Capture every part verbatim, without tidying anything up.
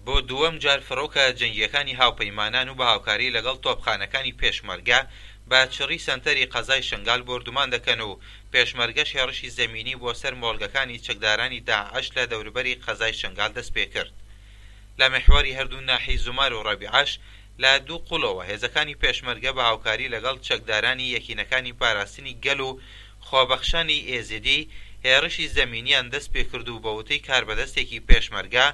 بۆ دووەم جار فڕۆکە جەنگییەکانی هاوپەیمانان و بە هاوکاری لەگەڵ تۆپخانەکانی پێشمەرگە بە چڕی سەنتەری قەزای شنگال بۆردومان دەکەن و پێشمەرگەش هێڕشی زەمینی بۆ سەر مۆڵگەکانی چەکدارانی داعش لە دەوروبەری قەزای شنگال دەست پێکرد. لە میحوەری هەردوو ناحیەی زومار و ڕەبیعەش لە دوو قوڵەوە هێزەکانی پێشمەرگە بە هاوکاری لەگەڵ چەکدارانی یەکینەکانی پاراستنی گەل و خۆبەخشانی ئێزیدی هێڕشی زەمینیان دەست پێکرد و بەوتەی کاربەدەستێکی پێشمەرگە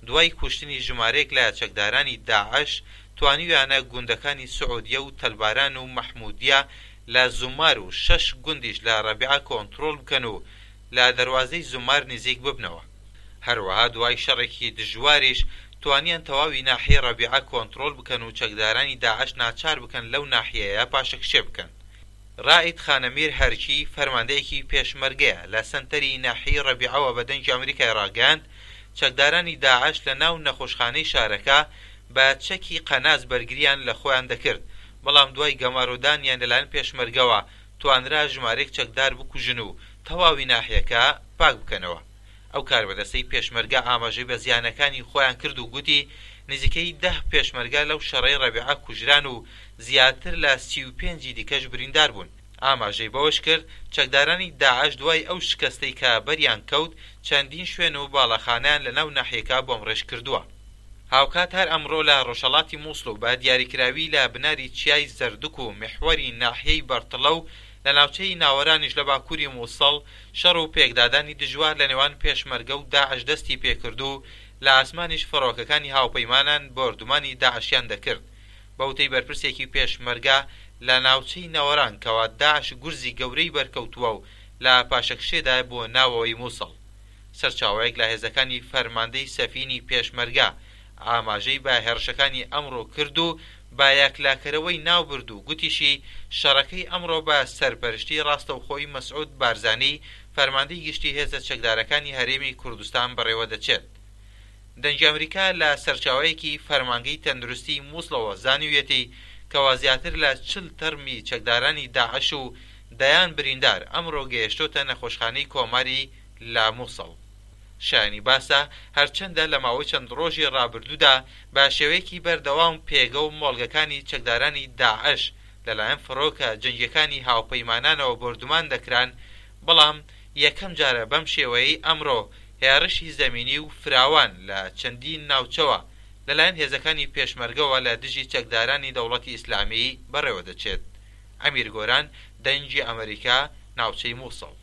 دوای کوشتنی ژمارەیەک لە چەکدارانی داعش توانیویانە گوندەکانی سعودیە و تەلباران و مەحمودیە لە زومار و شەش گوندیش لە ڕەبیعە کۆنترۆڵ بکەن و لە دەروازەی زومار نزیک ببنەوە. هەروەها دوای شەڕێکی دژواریش توانیان تەواوی ناحیەی ڕەبیعە کۆنترۆڵ بکەن و چەکدارانی داعش ناچار بکەن لەو ناحیەیە پاشەکشێ بکەن. ڕائید خانەمیر هەرکی فەرماندەیەکی پێشمەرگەیە لە سەنتەری ناحیەی ڕەبیعەوە بە دەنگی ئەمریکای ڕاگەیاند چەکدارانی داعش لە ناو نەخۆشخانەی شارەکە بە چەکی قەناس بەرگریان لە خۆیان دەکرد، بەڵام دوای گەمارۆدانیان لەلایەن پێشمەرگەوە توانرا ژمارەیەک چەکدار بکوژن و تەواوی ناحیەکە پاک بکەنەوە. ئەو کاربەدەستەی پێشمەرگە ئاماژەی بە زیانەکانی خۆیان کرد و گوتی نزیکەی دە پێشمەرگە لەو شەڕەی ڕەبیعە کوژران و زیاتر لە سی و پێنجی دیکەش بریندار بوون. ئاماژەی بەوەش کرد چەکدارانی داعش دوای ئەو شکستەی کە بەریان کەوت چەندین شوێن و باڵەخانەیان لەناو ناحیەکە بۆمڕێژ کردووە. هاوکات هەر ئەمڕۆ لە ڕۆژهەڵاتی مووسڵ و بە دیاریکراوی لە بناری چیای زەردک و میحوەری ناحیەی بەرتڵە و لە ناوچەی ناوەرانیش لە باکووری مووسڵ شەڕ و پێکدادانی دژوار لە نێوان پێشمەرگە و داعش دەستی پێکرد و لە ئاسمانیش فڕۆکەکانی هاوپەیمانان بۆردومانی داعشیان دەکرد. بەوتەی بەرپرسێکی پێشمەرگە لە ناوچەی ناوەران کەوا داعش گورزی گەورەی بەرکەوتووە و لە پاشەکشێدایە بۆ ناوەوەی مووسڵ. سەرچاوەیەک لە هێزەکانی فەرماندەی سەفینی پێشمەرگە ئاماژەی بە هێرشەکانی ئەمڕۆ کرد و بە یەکلاکەرەوەی ناوبرد و گوتیشی شەڕەکەی ئەمڕۆ بە سەرپەرشتی ڕاستەوخۆی مەسعود بارزانی فەرماندەی گشتی هێزە چەکدارەکانی هەرێمی کوردستان بەڕێوە دەچێت. دەنگی ئەمریکا لە سەرچاوەیەکی فەرمانگەی تەندروستی مووسڵەوە زانیویەتی کەوا زیاتر لە چل تەرمی چەکدارانی داعش و دەیان بریندار ئەمڕۆ گەیشتۆتە نەخۆشخانەی کۆماری لە مووسڵ. شایانی باسە هەرچەندە لە ماوەی چەند ڕۆژی ڕابردوودا بە شێوەیەکی بەردەوام پێگە و مۆڵگەکانی چەکدارانی داعش لەلایەن فڕۆکە جەنگیەکانی هاوپەیمانانەوە بۆردومان دەکران، بەڵام یەکەم جارە بەم شێوەیەی ئەمڕۆ هێڕشی زەمینی و فراوان لە چەندین ناوچەوە لەلایەن هێزەکانی پێشمەرگەوە لە دژی چەکدارانی دەوڵەتی ئیسلامی بەڕێوە دەچێت. ئەمیر گۆران، دەنگی ئەمریکا، ناوچەی مووسڵ.